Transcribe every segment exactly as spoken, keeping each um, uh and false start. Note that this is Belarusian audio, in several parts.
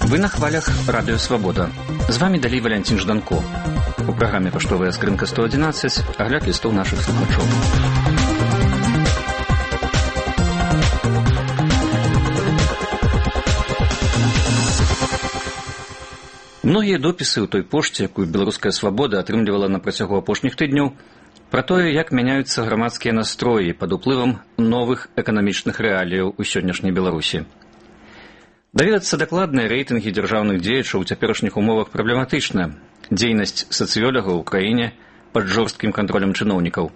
Вы на хвалях Радио Свобода. З вами далей Валянцін Жданко. У праграме «Паштовая скрынка сто одиннадцать» агляд лістоў нашых слухачоў. Многія допісы ў той пошце, якую «Беларуская свабода» атрымлівала на працягу апошніх тыдняў, пра тое, як мяняюцца грамадскія настроі пад уплывам новых эканамічных рэаліяў у сённяшняй Беларусі. Даведацца дакладныя рэйтынгі дзяржаўных дзеячаў у цяперашніх умовах праблематычна. Дзейнасць сацыёлагаў у краіне пад жорсткім кантролем чыноўнікаў.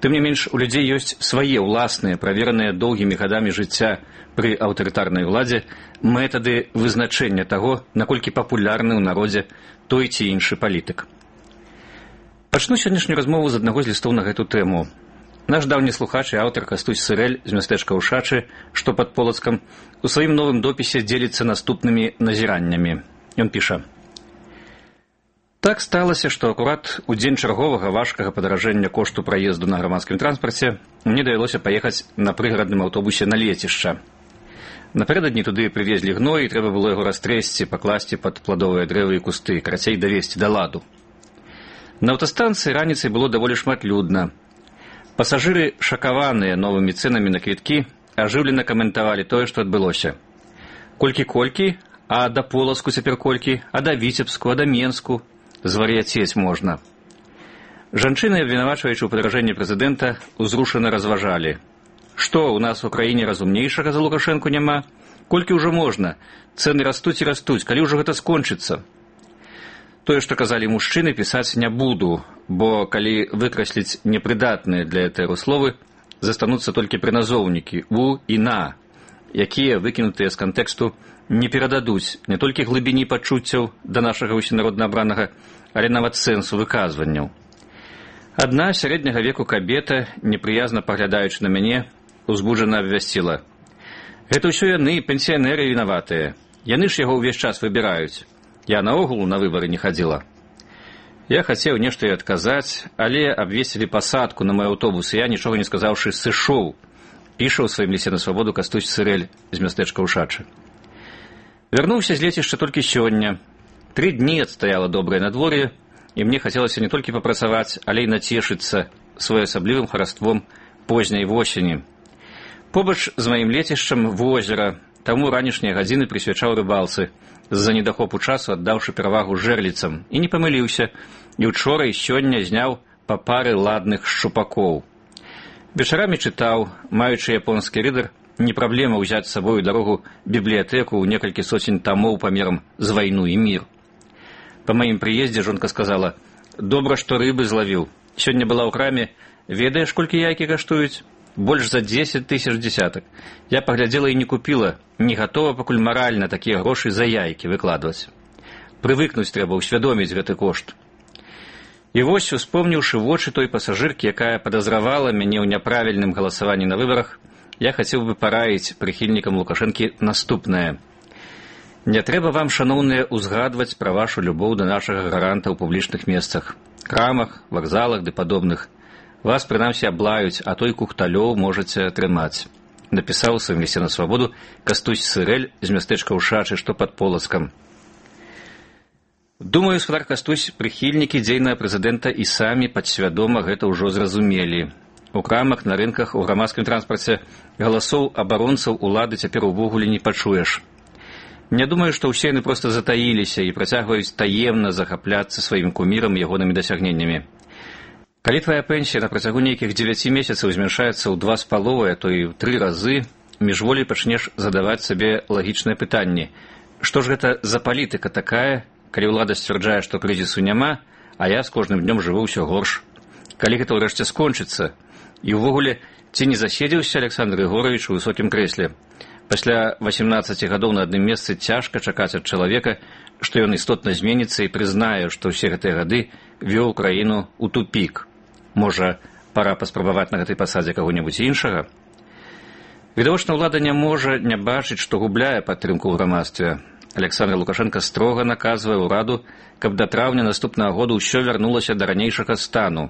Тым не менш, у людзей ёсць свае ўласныя, правераныя доўгімі гадамі жыцця пры аўтарытарнай уладзе метады вызначэння таго, наколькі папулярны ў народзе той ці іншы палітык. Пачну сённяшнюю размову з аднаго з лістоў на гэту тэму. Наш даўні слухач і аўтар Кастусь Сырэль з мястэчка Ушачы, што пад Полацкам, у сваім новым допісе дзеліцца наступнымі назіраннямі. Ён піша: «Так сталася, што акурат у дзень чарговага важкага падаражэння кошту праезду на грамадскім транспарце мне давялося паехаць на прыгарадным аўтобусе на лецішча. Напярэдадні туды прывезлі гной, і трэба было яго растрэсці, пакласці пад пладовыя дрэвы і кусты, карацей давесці да ладу. На аўтастанцыі раніцай было даволі шмат людна. Пасажыры, шакаваныя новымі цэнамі на квіткі, ажыўлена каментавалі тое, што адбылося. Колькі-колькі, а да Полацку цяпер колькі, а да Віцебску, а да Менску. Звар'яцець можна. Жанчыны, абвінавачваючы ў падаражэнні прэзідэнта, узрушана разважалі. Што, у нас у краіне разумнейшага за Лукашэнку няма? Колькі ўжо можна? Цэны растуць і растуць, калі ўжо гэта скончыцца? Тое, што казалі мужчыны, пісаць не буду, бо калі выкрасліць непрыдатныя для этэру словы, застануцца толькі прыназоўнікі «у» і «на», якія, выкінутыя з кантэксту, не перададуць не толькі глыбіні пачуццяў да нашага усенародна абранага, але нават сэнсу выказванняў. Адна сярэдняга веку кабета, непрыязна паглядаючы на мяне, узбуджана абвясціла: «Гэта ўсё яны, пенсіянеры, вінаватыя. Яны ж яго ўвесь час выбіраюць. Я наогул на выбары не хадзіла». Я хацеў нешта і адказаць, але абвесілі пасадку на мой аўтобус, і я, нічога не сказаўшы, сышоў. Піша ў сваім лісце на свабоду Кастусь Сырэль з мястэчка Ушачы. Вярнуўся з лецішча толькі сёння. Тры дні адстаяла добрае надвор'е, і мне хацелася не толькі папрацаваць, але і нацешыцца своеасаблівым хараством позняй восені. Побач з маім лецішчам возера, таму ранішнія гадзіны прысвячаў рыбалцы, з-за недахопу часу аддаўшы перавагу жэрліцам, і не памыліўся, і учора і сёння зняў па пары ладных шчупакоў. Вечарамі чытаў, маючы японскі рыдар, не праблема ўзяць з сабою дарогу бібліятэку ў некалькі соцень тамоў памерам з вайну і мір. Па маім прыездзе жонка сказала: «Добра, што рыбы злавіў. Сёння была ў краме, ведаеш, колькі яйкі каштуюць? Больш за дзесяць тысяч дзесятак. Я паглядзела і не купіла, не гатова пакуль маральна такія грошы за яйкі выкладваць. Прывыкнуць трэба, усвядоміць гэты кошт». І вось, успомніўшы вочы той пасажыркі, якая падазравала мяне ў няправільным галасаванні на выбарах, я хацеў бы параіць прыхільнікам Лукашэнкі наступнае. Не трэба вам, шаноўныя, узгадваць пра вашу любоў да нашага гаранта ў публічных месцах, крамах, вакзалах ды падобных. Вас, прынамсі, аблаюць, а той кухталёў можаце атрымаць. Напісаў у сваім лісце на свабоду Кастусь Сырэль з мястэчка Ушачы, што пад Полацкам. Думаю, спадар Кастусь, прыхільнікі дзейнага прэзідэнта і самі падсвядома гэта ўжо зразумелі. У крамах, на рынках, у грамадскім транспарце галасоў абаронцаў улады цяпер увогуле не пачуеш. Не думаю, што ўсе яны проста затаіліся і працягваюць таемна захапляцца сваім кумірам і ягонымі дасягненнямі. Калі твая пенсія на працягу нейкіх дзевяці месяцаў змяншаецца ў два з паловай, а то і ў тры разы, міжволей пачнеш задаваць сабе лагічныя пытанні. Што ж гэта за палітыка такая, калі ўлада сцвярджае, што крызісу няма, а я з кожным днём жыву ўсё горш? Калі гэта ўрэшце скончыцца? І ўвогуле, ці не заседзеўся Александр Егорович у высокім крэсле? Пасля васемнаццаці гадоў на адным месцы цяжка чакаць ад чалавека, што ён істотна зменіцца і прызнае, што ўсе гэтыя гады вёў краіну ў тупік. Можа, пара паспрабаваць на гэтай пасадзе каго-небудзь іншага? Відавочна, ўлада не можа не бачыць, што губляе падтрымку ў грамадстве. Александр Лукашенко строга наказвае ўраду, каб да траўня наступнага году ўсё вярнулася да ранейшага стану.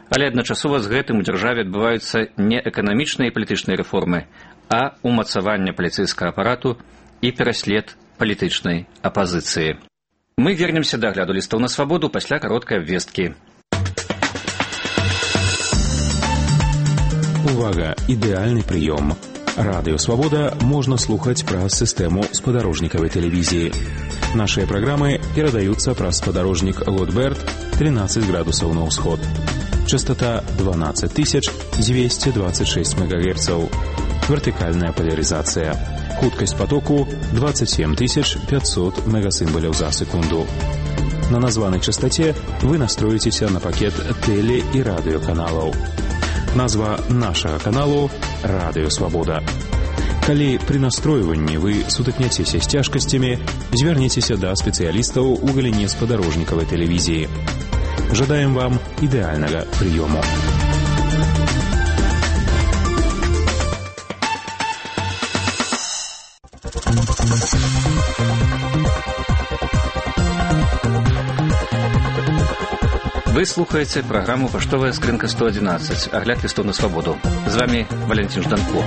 Але адначасова з гэтым у дзяржаве адбываюцца не эканамічныя і палітычныя рэформы, а умацаванне паліцэйскага апарату і пераслед палітычнай апазіцыі. Мы вернемся да агляду лістаў на свабоду пасля кароткай абвесткі. Увага! Ідэальны прыём. Радыё «Свабода» можна слухаць праз сістэму спадарожнікавай тэлевізіі. Нашыя праграмы перадаюцца праз спадарожнік Лотберт тринадцать градусаў на ўсход. Частота дванадцать тысяч двести двадцать шесть мегагерцаў. Вертыкальная поляризация. Хуткасць потоку двадцать семь тысяч пятьсот мегасимволяў за секунду. На названай частоте вы настроіцеся на пакет теле- і радыёканалаў. Назва нашага каналу «Радыё Свабода». Калі пры настройванні вы сутыкняцеся з цяжкасцямі, звярніцеся да спецыялістаў у галіне спадарожнікавай тэлевізіі. Жадаем вам ідэальнага прыёму. Вы слухаеце праграму «Паштовая скрынка сто одиннадцать», агляд лістаў на свабоду. З вами Валентин Жданко.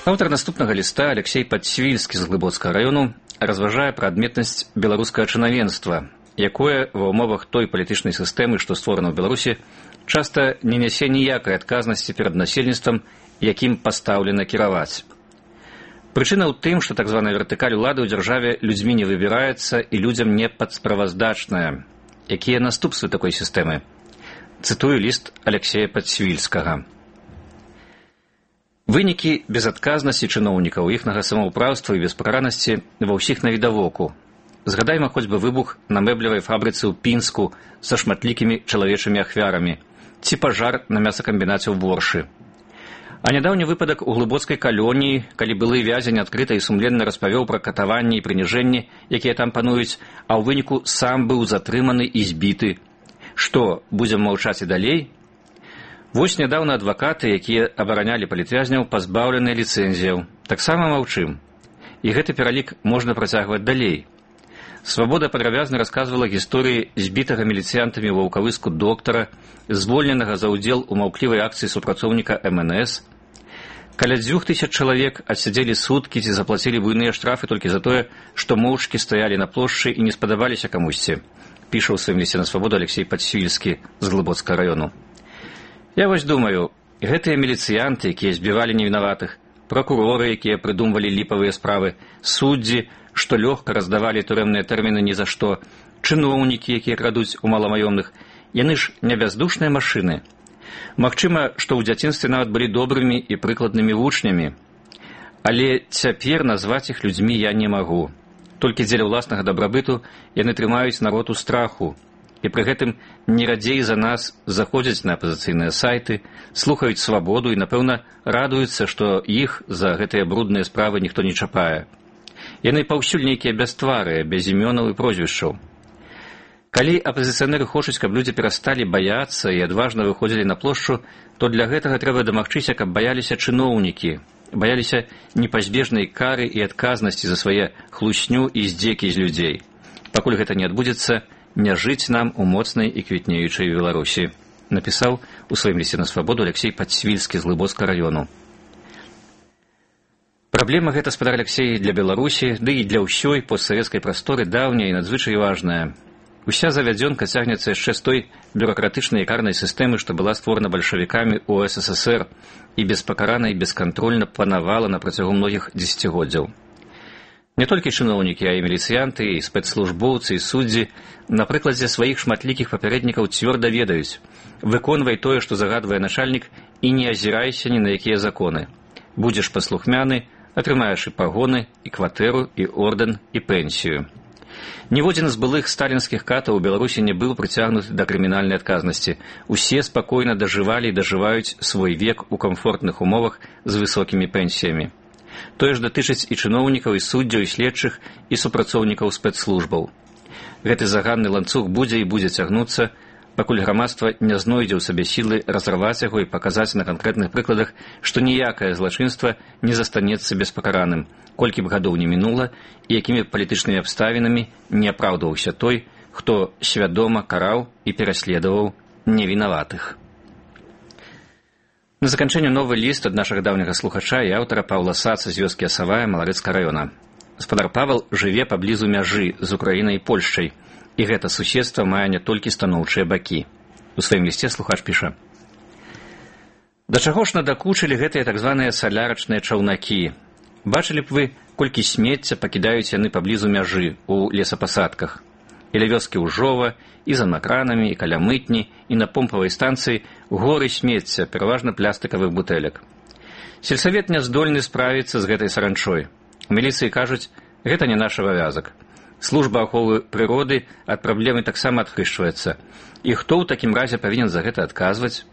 Аўтар наступнага ліста Алексей Падсвільскі з Глыбоцкага раёну разважае пра адметнасць беларускага чынавенства, якое ва ўмовах той палітычнай сістэмы, што створана ў Беларусі, часта не нясе ніякай адказнасці перад насельніцтвам, якім пастаўлена кіраваць. Прычына ў тым, што так званая вертыкаль улады ў дзяржаве людзьмі не выбіраецца і людзям не падсправаздачная. Якія наступствы такой сістэмы? Цытую ліст Алексея Падсвільскага. Вынікі безадказнасці чыноўнікаў, іхнага самаўпраўства і беспакаранасці ва ўсіх навідавоку. Згадайма хоць бы выбух на мэблевай фабрыцы ў Пінску са шматлікімі чалавечымі ахвярамі, ці пажар на мясакамбінаце ў Боршы. А нядаўні выпадак у глыбоцкай калоніі, калі былы вязень адкрыта і сумленна распавёў пра катаванні і прыніжэнні, якія там пануюць, а ў выніку сам быў затрыманы і збіты. Што, будзем маўчаць і далей? Вось нядаўна адвакаты, якія абаранялі палітвязняў, пазбаўленыя ліцэнзіяў. Таксама маўчым. І гэты пералік можна працягваць далей. Свабода падрабязна расказвала гісторыі збітага міліцыянтамі ва Ваўкавыску доктара, звольненага за ўдзел у маўклівай акцыі супрацоўніка эм эн эс. Каля дзвюх тысяч чалавек адсядзелі суткі ці заплацілі буйныя штрафы толькі за тое, што моўчкі стаялі на плошчы і не спадабаліся камусьці, піша ў сваім лісце на свабоду Алексей Падсвільскі з Глыбоцкага раёну. Я вось думаю, гэтыя міліцыянты, якія збівалі невінаватых, пракуроры, якія прыдумвалі ліпавыя справы, суддзі, што лёгка раздавалі турэмныя тэрміны ні за што, чыноўнікі, якія крадуць у маламаёмных, яны ж не бяздушныя машыны. Магчыма, што ў дзяцінстве нават былі добрымі і прыкладнымі вучнямі. Але цяпер назваць іх людзьмі я не магу. Толькі дзеля ўласнага дабрабыту яны трымаюць народ у страху. І пры гэтым не радзей за нас заходзяць на апазіцыйныя сайты, слухаюць свабоду і, напэўна, радуюцца, што іх за гэтыя брудныя справы ніхто не чапае. Яны паўсюль нейкія бястварыя, без імёнаў і прозвішчаў. Калі апазіцыянеры хочуць, каб людзі перасталі баяцца і адважна выходзілі на плошчу, то для гэтага трэба дамагчыся, каб баяліся чыноўнікі, баяліся непазбежнай кары і адказнасці за свае хлусню і здзекі з людзей. Пакуль гэта не адбудзецца, не жыць нам у моцнай і квітнеючай Беларусі, напісаў у сваім лісце на свабоду Алексей Падсвільскі з Глыбоцкага раёну. Праблема гэта, спадар Алексей, для Беларусі, ды і для ўсёй постсавецкай прасторы даўняя і надзвычай важная. Уся завядзёнка цягнецца яшчэ з той бюракратычнай і карнай сістэмы, што была створана бальшавікамі ў эс эс эс эр і беспакарана і бескантрольна панавала на працягу многіх дзесяцігоддзяў. Не толькі чыноўнікі, а і міліцыянты, і спецслужбоўцы, і суддзі на прыкладзе сваіх шматлікіх папярэднікаў цвёрда ведаюць: выконвай тое, што загадвае начальнік, і не азірайся ні на якія законы. Будзеш паслухмяны, атрымаеш і пагоны, і кватэру, і ордэн, і пенсію. Ніводзін з былых сталінскіх катаў у Беларусі не быў прыцягнуты да крымінальнай адказнасці. Усе спакойна дажывалі і дажываюць свой век у камфортных умовах з высокімі пенсіямі. Тое ж датычыць і чыноўнікаў, і суддзяў, і следчых, і супрацоўнікаў спецслужбаў. Гэты заганны ланцуг будзе і будзе цягнуцца, пакуль грамадства не знойдзе ў сабе сілы разарваць яго і паказаць на канкрэтных прыкладах, што ніякае злачынства не застанецца беспакараным, колькі б гадоў не мінула і якімі палітычнымі абставінамі не апраўдваўся той, хто свядома караў і пераследаваў невінаватых. На заканчэнне новы ліст ад нашага даўняга слухача і аўтара Паўла Саца з вёскі Асавая Маларэцкага раёна. Гаспадар Павел жыве паблізу мяжы з Украінай і Польшчай, і гэта суседства мае не толькі станоўчыя бакі. У сваім лісце слухач піша: «Да чаго ж надакучылі гэтыя так званыя салярачныя чаўнакі? Бачылі б вы, колькі смецця пакідаюць яны паблізу мяжы у лесапасадках. І ля вёскі Ужова, і за макранамі, і каля мытні, і на помпавай станцыі горы смецця, пераважна пластыкавых бутэлек. Сельсавет не здольны справіцца з гэтай саранчой. У міліцыі кажуць, гэта не наш абавязак. Служба аховы прыроды ад праблемы таксама адхрышчваецца. І хто ў такім разе павінен за гэта адказваць?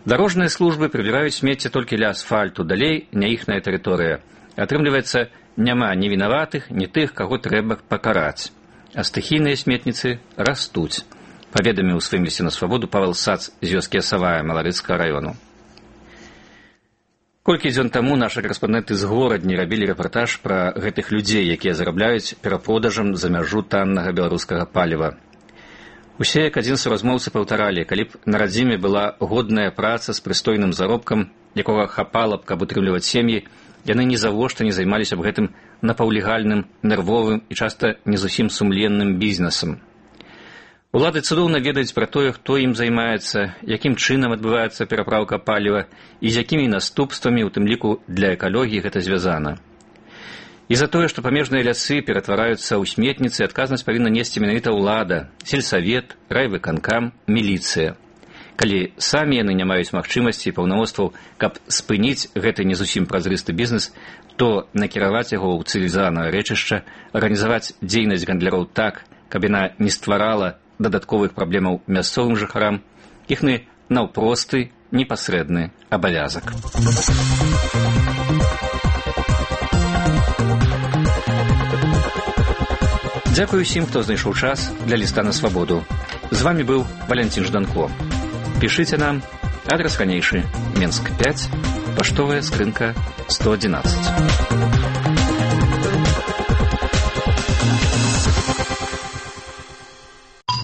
Дарожныя службы прыбіраюць смецце толькі ля асфальту, далей не іхная тэрыторыя. Атрымліваецца, няма ні вінаватых, ні тых, каго трэба пакараць. А стыхійныя сметніцы растуць», паведаміў у сваім лісце на свабоду Павел Сац з вёскі Асавая Маларэцкага раёну. Колькі дзён таму нашы карэспандэнты з горадні рабілі рэпартаж пра гэтых людзей, якія зарабляюць перапродажам за мяжу таннага беларускага паліва. Усе як адзін суразмоўцы паўтаралі, калі б на радзіме была годная праца з прыстойным заробкам, якога хапала б, каб утрымліваць сем'і, яны нізавошта не займаліся б гэтым напаўлегальным, нервовым і часта не зусім сумленным бізнесам. Улады цудоўна ведаюць пра тое, хто ім займаецца, якім чынам адбываецца перапраўка паліва і з якімі наступствамі, у тым ліку для экалогіі, гэта звязана. І за тое, што памежныя лясы ператвараюцца ў сметніцы, адказнасць павінна несці менавіта ўлада, сельсавет, райвыканкам, міліцыя. Калі самі яны не маюць магчымасці і паўнамоцтваў, каб спыніць гэты не зусім празрысты бізнес, то накіраваць яго ў цывілізаванае рэчышча, арганізаваць дзейнасць гандляроў так, каб яна не стварала дадатковых праблемаў мясцовым жыхарам, іхны наўпросты, непасрэдны абавязак. Дзякую усім, хто знайшоў час для ліста на свабоду. З вамі быў Валянцін Жданко. Пішыце нам, адрес ранейшы, Менск пяць, паштовая скрынка сто адзінаццаць.